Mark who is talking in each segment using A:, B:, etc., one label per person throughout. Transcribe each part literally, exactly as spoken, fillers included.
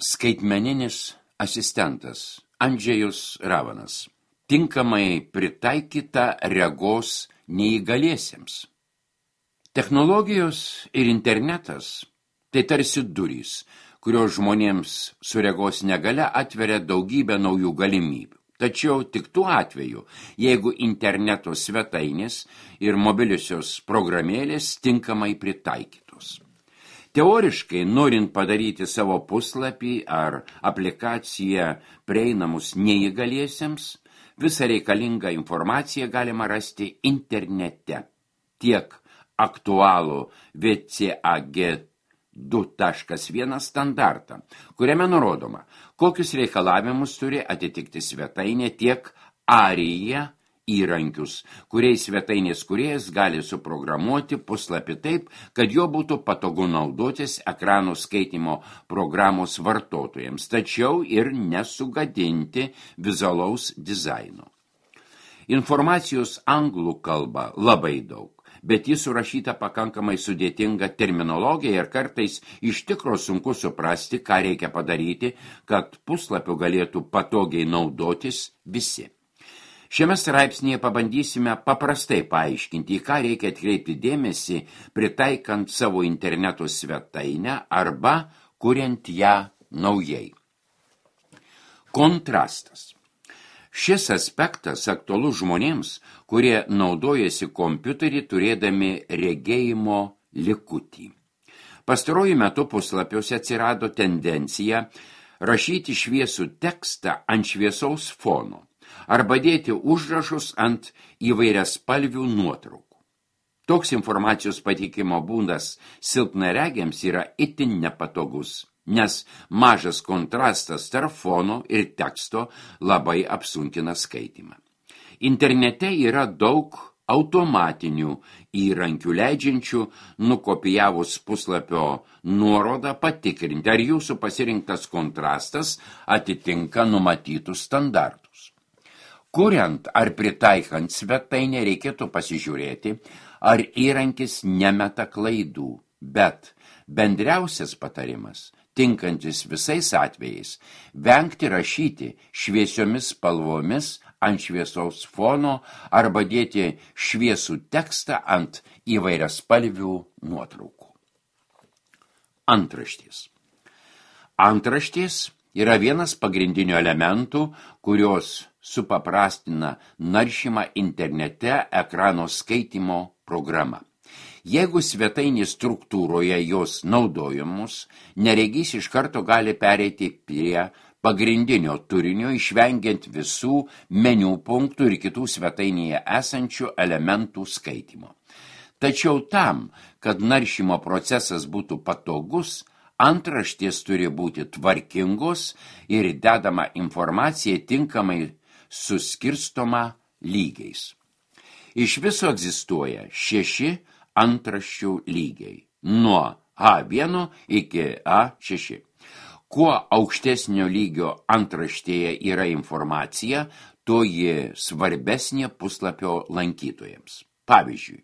A: Skaitmeninis asistentas Andžejus Ravanas. Tinkamai pritaikyta regos neįgaliesiems. Technologijos ir internetas tai tarsi durys, kurios žmonėms su regos negalia atveria daugybę naujų galimybių. Tačiau tik tuo atveju, jeigu interneto svetainės ir mobiliosios programėlės tinkamai pritaikytos. Teoriškai, norint padaryti savo puslapį ar aplikaciją prieinamus neįgaliesiems, visą reikalingą informaciją galima rasti internete. Tiek aktualų V C A G du taškas vienas standartą, kuriame nurodoma, kokius reikalavimus turi atitikti svetainė, tiek arija įrankius, kuriais svetainės kūrėjas gali suprogramuoti puslapį taip, kad jo būtų patogu naudotis ekranų skaitymo programos vartotojams, tačiau ir nesugadinti vizualaus dizaino. Informacijos anglų kalba labai daug, bet jis surašyta pakankamai sudėtinga terminologija ir kartais iš tikro sunku suprasti, ką reikia padaryti, kad puslapiu galėtų patogiai naudotis visi. Šiame straipsnėje pabandysime paprastai paaiškinti, į ką reikia atkreipti dėmesį, pritaikant savo interneto svetainę arba kuriant ją naujai. Kontrastas. Šis aspektas aktualus žmonėms, kurie naudojasi kompiuterį turėdami regėjimo likutį. Pastaruoju metu puslapiuose atsirado tendencija rašyti šviesų tekstą ant šviesaus fono arba dėti užrašus ant įvairiaspalvių nuotraukų. Toks informacijos pateikimo būdas silpnaregiams yra itin nepatogus, nes mažas kontrastas tarp fono ir teksto labai apsunkina skaitymą. Internete yra daug automatinių įrankių leidžiančių, nukopijavus puslapio nuorodą, patikrinti, ar jūsų pasirinktas kontrastas atitinka numatytus standartus. Kuriant ar pritaikant svetainę reikėtų pasižiūrėti, ar įrankis nemeta klaidų, bet bendriausias patarimas, tinkantis visais atvejais, vengti rašyti šviesiomis spalvomis ant šviesaus fono arba dėti šviesų tekstą ant įvairiaspalvių nuotraukų. Antraštės. Antraštės yra vienas pagrindinių elementų, kurios supaprastina naršymą internete ekrano skaitymo programa. Jeigu svetainės struktūroje jos naudojamos, neregys iš karto gali pereiti prie pagrindinio turinio, išvengiant visų meniu punktų ir kitų svetainėje esančių elementų skaitymo. Tačiau tam, kad naršymo procesas būtų patogus, antraštės turi būti tvarkingos ir dedama informacija tinkamai suskirstoma lygiais. Iš viso egzistuoja šeši antraščių lygiai, nuo A vienas iki A šeši. Kuo aukštesnio lygio antraštėje yra informacija, tuo ji svarbesnė puslapio lankytojams. Pavyzdžiui,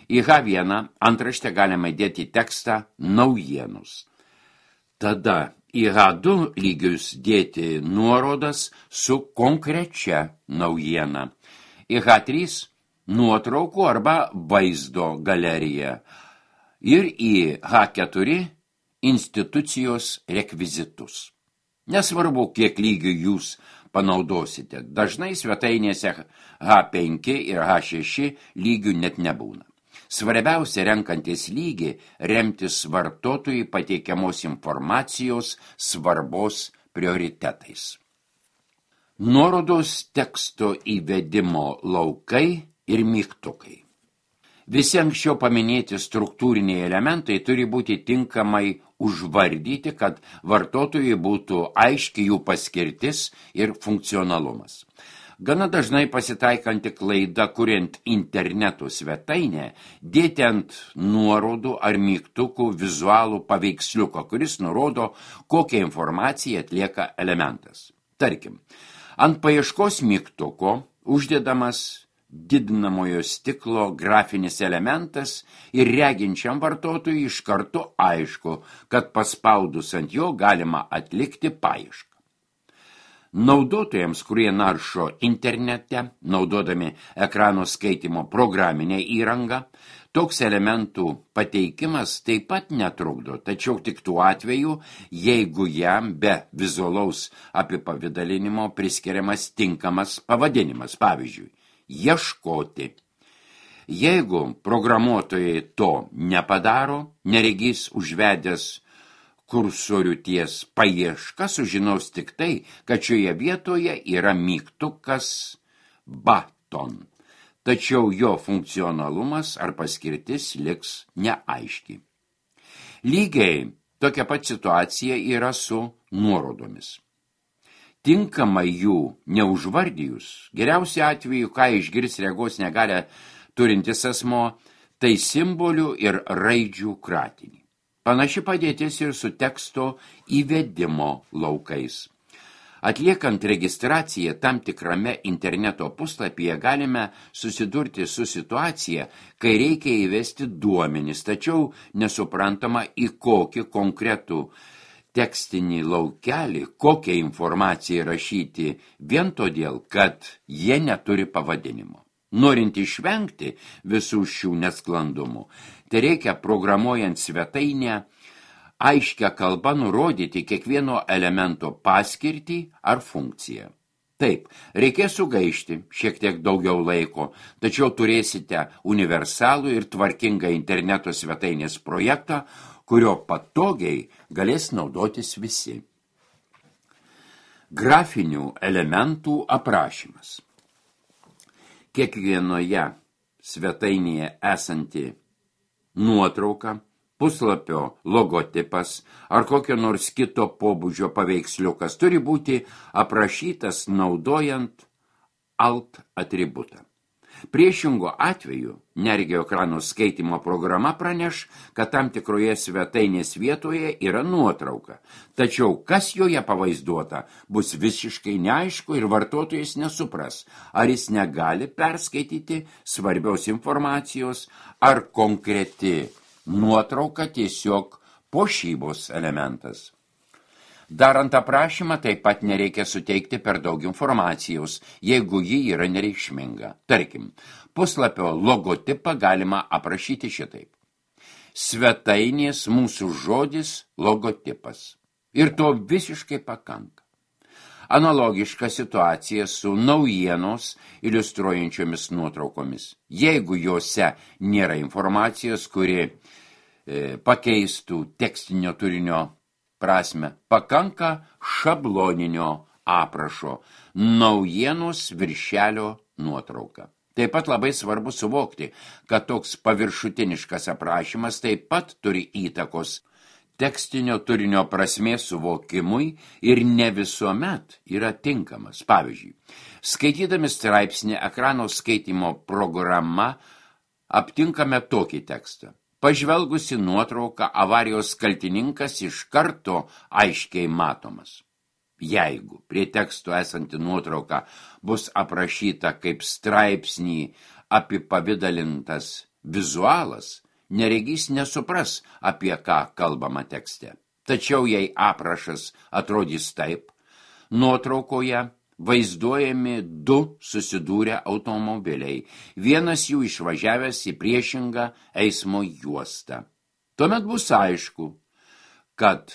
A: į H vienas antraštę galima dėti tekstą naujienos. Tada į H du lygius dėti nuorodas su konkrečia naujiena. Į H trys nuotraukų arba vaizdo galerija. Ir į H keturi institucijos rekvizitus. Nesvarbu, kiek lygių jūs panaudosite. Dažnai svetainėse H penki ir H šeši lygių net nebūna. Svarbiausia renkantis lygį remtis vartotojui pateikiamos informacijos svarbos prioritetais. Nuorodos teksto įvedimo laukai ir mygtukai. Visi anksčiau paminėti struktūriniai elementai turi būti tinkamai užvardyti, kad vartotojui būtų aiški jų paskirtis ir funkcionalumas. Gana dažnai pasitaikanti klaida, kuriant interneto svetainę, dėti ant nuorodų ar mygtukų vizualų paveiksliuką, kuris nurodo, kokią informaciją atlieka elementas. Tarkim, ant paieškos mygtuko uždedamas didinamojo stiklo grafinis elementas ir reginčiam vartotojui iš karto aišku, kad paspaudus ant jo galima atlikti paiešką. Naudotojams, kurie naršo internete, naudodami ekrano skaitimo programinę įrangą, toks elementų pateikimas taip pat netrukdo, tačiau tik tuo atveju, jeigu jam be vizualaus apipavidalinimo priskiriamas tinkamas pavadinimas, pavyzdžiui, ieškoti. Jeigu programuotojai to nepadaro, neregys užvedęs kursorių ties paieška sužinos tik tai, kad šioje vietoje yra mygtukas button, tačiau jo funkcionalumas ar paskirtis liks neaiški. Lygiai tokia pat situacija yra su nuorodomis. Tinkamai jų neužvardijus, geriausiu atveju, ką išgirs regos negalią turintis asmo, tai simbolių ir raidžių kratinį. Panaši padėtis ir su teksto įvedimo laukais. Atliekant registraciją tam tikrame interneto puslapyje galime susidurti su situacija, kai reikia įvesti duomenis, tačiau nesuprantama į kokį konkretų tekstinį laukelį, kokią informaciją rašyti, vien todėl, kad jie neturi pavadinimo. Norint išvengti visų šių nesklandumų, tai reikia programuojant svetainę aiškia kalba nurodyti kiekvieno elemento paskirtį ar funkciją. Taip, reikės sugaišti šiek tiek daugiau laiko, tačiau turėsite universalų ir tvarkingą interneto svetainės projektą, kurio patogiai galės naudotis visi. Grafinių elementų aprašymas. Kiekvienoje svetainėje esanti nuotrauka, puslapio logotipas ar kokio nors kito pobūdžio paveiksliukas turi būti aprašytas naudojant alt atributą. Priešingo atveju neregio ekrano skaitimo programa praneš, kad tam tikroje svetainės vietoje yra nuotrauka, tačiau kas joje pavaizduota bus visiškai neaišku ir vartotojas nesupras, ar jis negali perskaityti svarbios informacijos, ar konkreti nuotrauka tiesiog puošybos elementas. Darant aprašymą taip pat nereikia suteikti per daug informacijos, jeigu ji yra nereikšminga. Tarkim, puslapio logotipą galima aprašyti šitaip. Svetainės mūsų žodis logotipas. Ir to visiškai pakanka. Analogiška situacija su naujienos iliustruojančiomis nuotraukomis. Jeigu jose nėra informacijos, kuri e, pakeistų tekstinio turinio prasme, pakanka šabloninio aprašo, naujienos viršelio nuotrauka. Taip pat labai svarbu suvokti, kad toks paviršutiniškas aprašymas taip pat turi įtakos tekstinio turinio prasmės suvokimui ir ne visuomet yra tinkamas. Pavyzdžiui, skaitydami straipsnį ekrano skaitimo programa aptinkame tokį tekstą. Pažvelgusi nuotrauką, avarijos kaltininkas iš karto aiškiai matomas. Jeigu prie teksto esanti nuotrauka bus aprašyta kaip straipsnį apipavidalintas vizualas, neregys nesupras, apie ką kalbama tekste. Tačiau jei aprašas atrodys taip, nuotraukoje vaizduojami du susidūrę automobiliai, vienas jų išvažiavęs į priešingą eismo juostą. Tuomet bus aišku, kad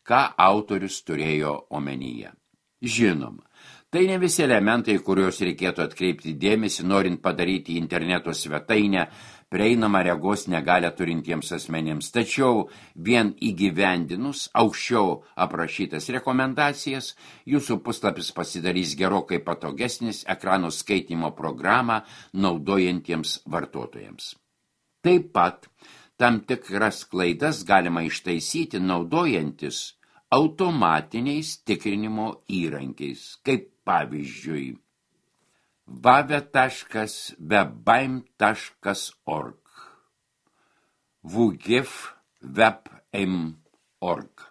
A: ką autorius turėjo omenyje. Žinoma, tai ne visi elementai, kuriuos reikėtų atkreipti dėmesį, norint padaryti interneto svetainę prieinamą regos negalią turintiems asmenėms. Tačiau vien įgyvendinus aukščiau aprašytas rekomendacijas, jūsų puslapis pasidarys gerokai patogesnis ekrano skaitimo programą naudojantiems vartotojams. Taip pat tam tikras klaidas galima ištaisyti naudojantis automatiniais tikrinimo įrankiais, kaip pavyzdžiui vave taškas webbaim taškas org, wgif webim taškas org.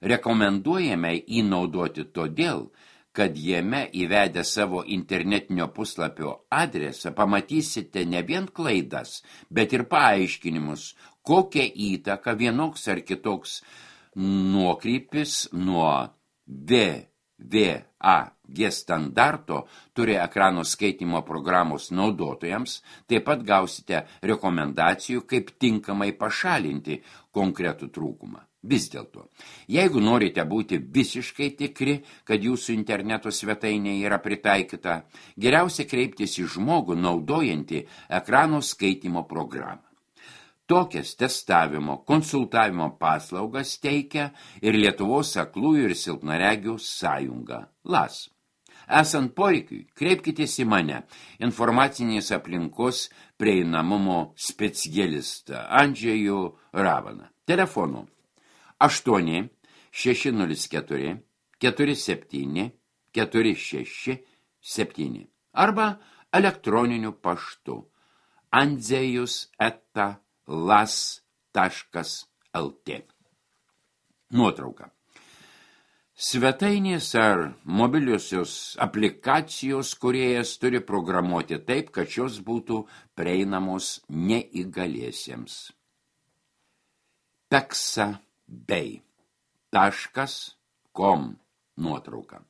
A: Rekomenduojame jį naudoti todėl, kad jame įvedę savo internetinio puslapio adresą pamatysite ne vien klaidas, bet ir paaiškinimus, kokią įtaką vienoks ar kitoks nuokrypis nuo V V A G standarto turi ekrano skaitymo programos naudotojams, taip pat gausite rekomendacijų, kaip tinkamai pašalinti konkretų trūkumą. Vis dėlto, jeigu norite būti visiškai tikri, kad jūsų interneto svetainė yra pritaikyta, geriausia kreiptis į žmogų naudojantį ekrano skaitymo programą. Tokias testavimo, konsultavimo paslaugas teikia ir Lietuvos aklųjų ir silpnaregių sąjunga L A S. Esant poreikiui, kreipkitės į mane, informacinės aplinkos prieinamumo specialistą Andžejų Ravaną. Telefonu aštuoni šeši nulis keturi keturi septyni keturi šeši septyni arba elektroniniu paštu andzejus eta las taškas lt. Nuotrauka. Svetainės ar mobiliosios aplikacijos kūrėjas turi programuoti taip, kad šios būtų prieinamos neįgaliesiems. Pexabay taškas com nuotrauka.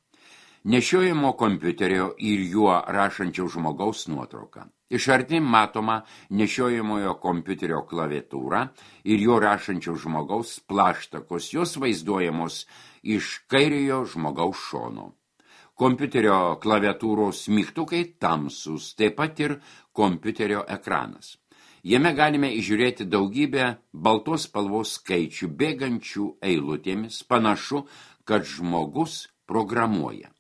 A: Nešiojamo kompiuterio ir juo rašančio žmogaus nuotrauka. Iš arti matoma nešiojamojo kompiuterio klaviatūra ir jo rašančio žmogaus plaštakos, jos vaizduojamos iš kairiojo žmogaus šono. Kompiuterio klaviatūros mygtukai tamsus, taip pat ir kompiuterio ekranas. Jame galime įžiūrėti daugybę baltos spalvos skaičių bėgančių eilutėmis, panašu, kad žmogus programuoja.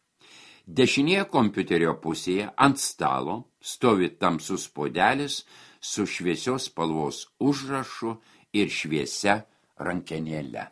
A: Dešinėje kompiuterio pusėje ant stalo stovi tamsus puodelis su šviesios spalvos užrašu ir šviesia rankenėle.